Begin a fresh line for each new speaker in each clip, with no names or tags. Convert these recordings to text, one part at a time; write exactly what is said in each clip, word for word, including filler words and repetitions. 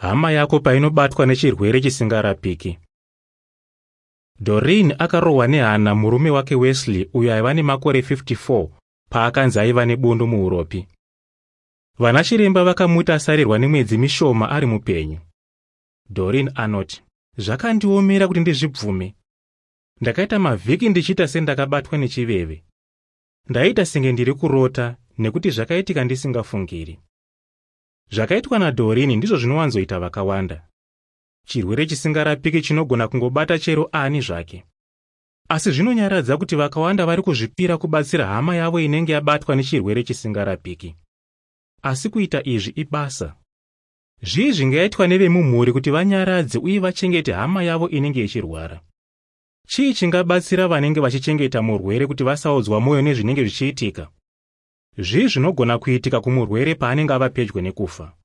Hama yako painobatwa nechirwere chisingarapiki. Doreen akarohwa nehana murume wake Wesley, uyo aiva nemakore fifty-four, paakanzi aiva nebundu muuropi. Vanachiremba vakamuti asarirwa nemwedzi mishoma ari mupenyu. Doreen anoti, "Zvakandiomera kuti ndizvibvume. Ndakaita mavhiki ndichiita sendakabatwa nechiveve. Ndaita senge ndiri kurota, nekuti zvakaitika ndisingafungiri." Zvakaitwa naDoreen ndizvo zvinowanzoita vakawanda. Chirwere chisingarapiki chinogona kungobata chero ani zvake. Asi zvinonyaradza kuti vakawanda vari kuzvipira kubatsira hama yavo inenge yabatwa nechirwere chisingarapiki. Asi kuita izvi ibasa. Zvii zvingaitwa nevemumhuri kuti vanyaradze uye vachengete hama yavo inenge ichirwara? Chii chingabatsira vanenge vachichengeta murwere kuti vasaodzwa mwoyo nezvinenge zvichiitika? Zvii zvinogona kuitika kumurwere paanenge ava pedyo nekufa?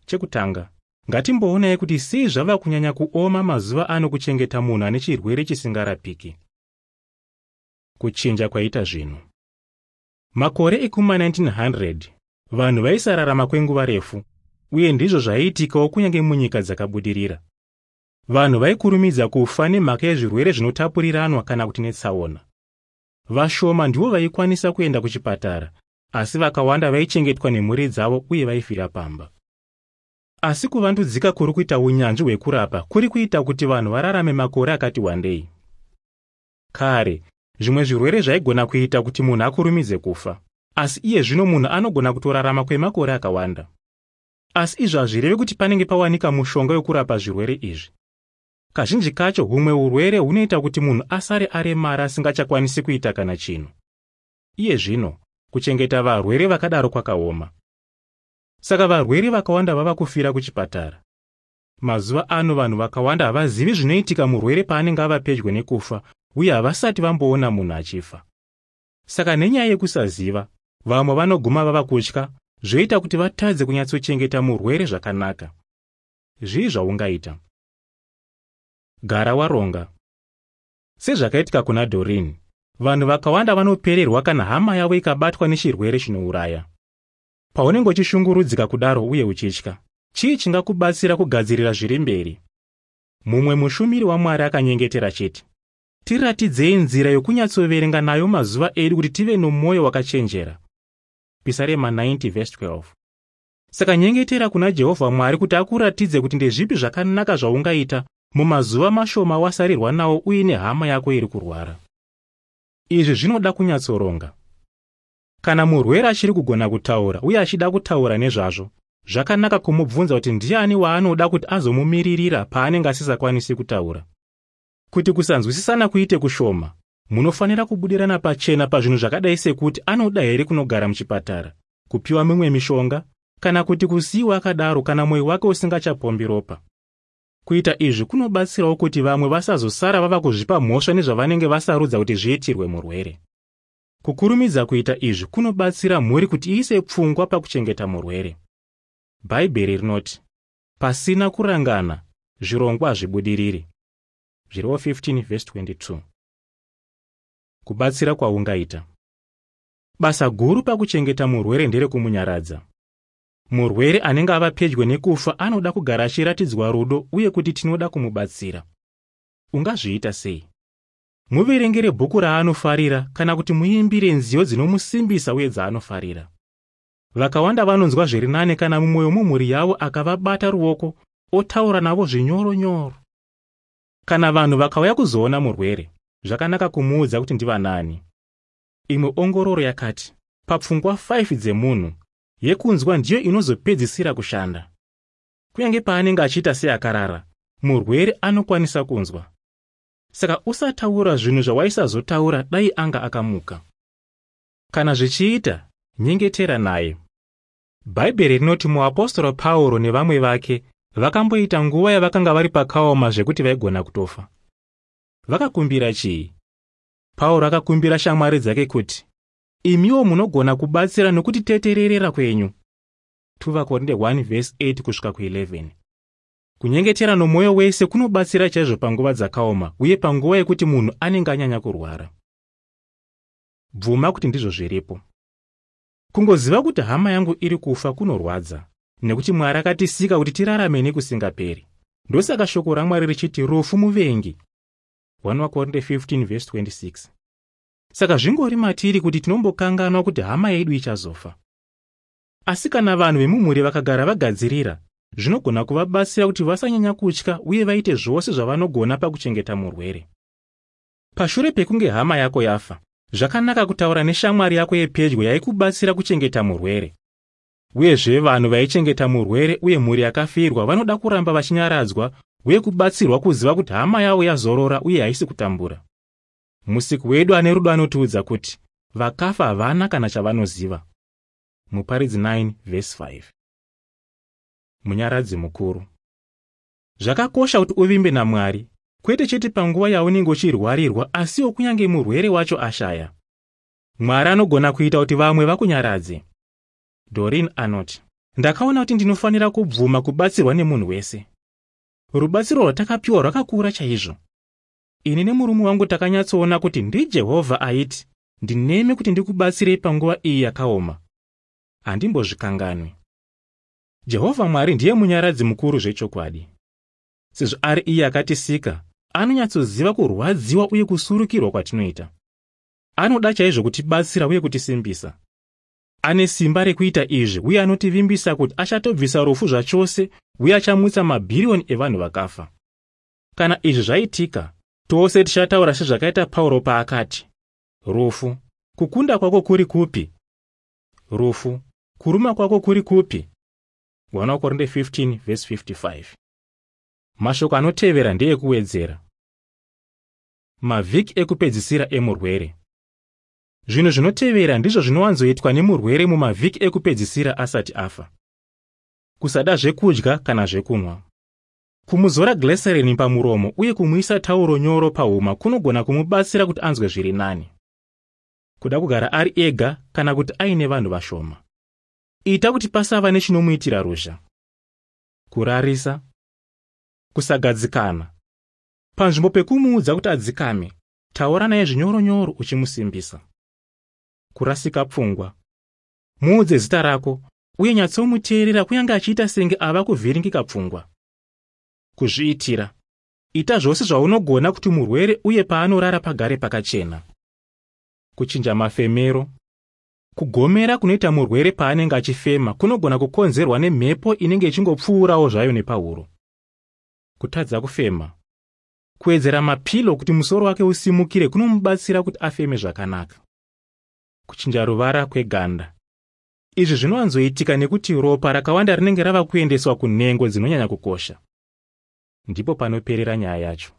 Chekutanga, ngatimboonai kuti sei zvava kunyanya kuoma mazuva ano kuchengeta munhu ane chirwere chisingarapiki. Kuchinja kwaita zvinhu. Makore ekuma nineteen hundred, vanhu vaisararama kwenguva refu, uye ndizvo zvaiitikawo kunyange munyika dzakabudirira. Vanhu vaikurumidza kufa nemhaka yezvirwere zvinotapuriranwa kana kuti netsaona. Vashoma ndivo vaikwanisa kuenda kuchipatara, asi vakawanda vaichengetwa nemhuri dzavo uye vaifira pamba. Asi kuvandudzika kuri kuita unyanzvi hwekurapa kuri kuita kuti vanhu vararame makore akati wandei. Kare, zvimwe zvirwere zvaigona kuita kuti munhu akurumidze kufa, asi iye zvino munhu anogona kutorarama kwemakore akawanda. Asi izvi hazvirevi kuti panenge pawanika mushonga wekurapa zvirwere izvi. Kazhinji kacho humwe urwere hunoita kuti munhu asare aremara asingachakwanisi kuita kana chinhu. Iye zvino, kuchengeta varwere vakadaro kwakaoma. Saka varwere vakawanda vava kufira kuchipatara. Mazuva ano vanhu vakawanda havazivi zvinoitika murwere paanenge ava pedyo nekufa, uye havasati vamboona munhu achifa. Saka nenyaya yekusaziva, vamwe vanoguma vava kutya, zvoita kuti vatadze kunyatsochengeta murwere zvakanaka. Zvii zvaungaita? Gara waronga. Sezvakaitika kuna Doreen, vanhu vakawanda vanopererwa kana hama yavo ikabatwa nechirwere chinouraya. Paunenge uchishungurudzika kudaro uye uchitya, chii chingakubatsira kugadzirira zviri mberi? Mumwe mushumiri waMwari akanyengetera chiti, "Tiratidzei nzira yokunyatsoverenga nayo mazuva edu kuti tive nomwoyo wakachenjera." Pisarema ninety verse twelve. Saka nyengetera kuna Jehovha Mwari kuti akuratidze kuti ndezvipi zvakanaka zvaungaita mumazuva mashoma wasarirwa nawo uine hama yako iri kurwara. Izvi zvinoda kunyatsoronga. Kana murwere achiri kugona kutaura uye achida kutaura nezvazvo, zvakanaka kumubvunza kuti ndiani waanoda kuti azomumiririra paanenge asisakwanisi kutaura. Kuti kusanzwisisana kuite kushoma, munofanira kubudirana pachena pazvinhu zvakadai sekuti anoda here kunogara muchipatara, kupiwa mimwe mishonga, kana kuti kusiyiwa akadaro kana mwoyo wake usingachapombi ropa. Kuita izvi kunobatsirawo kuti vamwe vasazosara vava kuzvipa mhosva nezvavanenge vasarudza kuti zviitirwe murwere. Kukurumidza kuita izvi kunobatsira mhuri kuti iise pfungwa pakuchengeta murwere. Bhaibheri rinoti, "Pasina kurangana, zvirongwa hazvibudiriri." Zvirevo fifteen verse twenty-two. Kubatsira kwaungaita. Basa guru pakuchengeta murwere nderekumunyaradza. Murwere anenge ava pedyo nekufa anoda kugara achiratidzwa rudo uye kuti tinoda kumubatsira. Ungazviita sei? Muverengere bhuku raanofarira kana kuti muimbire nziyo dzinomusimbisa uye dzaanofarira. Vakawanda vanonzwa zviri nane kana mumwe wemumhuri yavo akavabata ruoko otaura navo zvinyoronyoro. Kana vanhu vakauya kuzoona murwere, zvakanaka kumuudza kuti ndivanani. Imwe ongororo yakati, papfungwa five dzemunhu, yekunzwa ndiyo inozopedzisira kushanda. Kunyange paanenge achiita seakarara, murwere anokwanisa kunzwa. Saka usataura zvinhu zvawaisazotaura dai anga akamuka. Kana zvichiita, nyengetera naye. Bhaibheri rinoti muapostora Pauro nevamwe vake vakamboita nguva yavakanga vari pakaoma zvekuti vaigona kutofa. Vakakumbira chii? Pauro akakumbira shamwari dzake kuti, "Imiwo munogona kubatsira nokutitetererera kwenyu." two Vakorinde one verse eight kusvika ku eleven. Kunyengetera nomwoyo wese kunobatsira chaizvo panguva dzakaoma uye panguva yekuti munhu anenge anyanya kurwara. Bvuma kuti ndizvo zviripo. Kungoziva kuti hama yangu iri kufa kunorwadza, Nekuti Mwari akatisika kuti tirarame nekusingaperi. Ndosaka shoko raMwari richiti rufu muvengi. one Korinte fifteen verse twenty-six. Saka zvingori matiri kuti tinombokanganwa kuti hama yedu ichazofa. Asi kana vanhu vemumhuri vakagara vagadzirira, zvinogona kuvabatsira kuti vasanyanya kutya uye vaite zvose zvavanogona pakuchengeta murwere. Pashure pekunge hama yako yafa, zvakanaka kutaura neshamwari yako yepedyo yaikubatsira kuchengeta murwere. Uyezve vanhu vaichengeta murwere uye mhuri yakafirwa vanoda kuramba vachinyaradzwa uye kubatsirwa kuziva kuti hama yavo yazorora uye haisi kutambura. Musiki wedu ane rudo anotiudza kuti vakafa havana kana chavanoziva. Muparidzi nine verse five. Munyaradzi mukuru. Zvakakosha kuti uvimbe naMwari, kwete chete panguva yaunenge uchirwarirwa, asiwo kunyange murwere wacho ashaya. Mwari anogona kuita kuti vamwe vakunyaradze. Doreen anoti, ndakaona kuti ndinofanira kubvuma kubatsirwa nemunhu wese. Rubatsiro rwatakapiwa rwakakura chaizvo. Ini nemurume wangu takanyatsoona kuti ndiJehovha aiti, ndinemi kuti ndikubatsirei panguva iyi yakaoma. Handimbozvikanganwi. Jehovha Mwari ndiye munyaradzi mukuru zvechokwadi. Sezvo ari iye akatisika, anonyatsoziva kurwadziwa uye kusurukirwa kwatinoita. Anoda chaizvo kutibatsira uye kutisimbisa. Ane simba rekuita izvi uye anotivimbisa kuti achatobvisa rufu zvachose uye achamutsa mabhiriyoni evanhu vakafa. Kana izvi zvaitika, tose tichataura sezvakaita Pauro paakati, rufu, kukunda kwako kuri kupi? Rufu, kuruma kwako kuri kupi? one Korinte fifteen verse fifty-five. Mashoko anotevera ndeyekuwedzera. Mavhiki ekupedzisira emurwere. Zvinhu zvinotevera ndizvo zvinowanzoitwa nemurwere mumavhiki ekupedzisira asati afa. Kusada zvekudya kana zvekunwa. Kumuzora glycerin pamuromo uye kumuisa tauro nyoro pahuma kunogona kumubatsira kuti anzwe zviri nani. Kuda kugara ari ega kana kuti aine vanhu vashoma. Ita kuti pasava nechinomuitira ruzha. Kurarisa. Kusagadzikana. Panzvimbo pekumuudza kuti adzikame, taura naye zvinyoronyoro uchimusimbisa. Kurasika pfungwa. Muudze zita rako uye nyatsomuteerera kunyange achiita senge ava kuvhiringika pfungwa. Kuzviitira. Ita zvose zvaunogona kuti murwere uye paanorara pagare pakachena. Kuchinja mafemero. Kugomera kunoita murwere paanenge achifema kunogona kukonzerwa nemhepo inenge ichingopfuurawo zvayo nepahuro. Kutadza kufema. Kuwedzera mapilo kuti musoro wake usimukire kunomubatsira kuti afeme zvakanaka. Kuchinja ruvara kweganda. Izvi zvinowanzoitika nekuti ropa rakawanda rinenge rava kuendeswa kunhengo dzinonyanya kukosha. Ndipo panoperera nyaya yacho.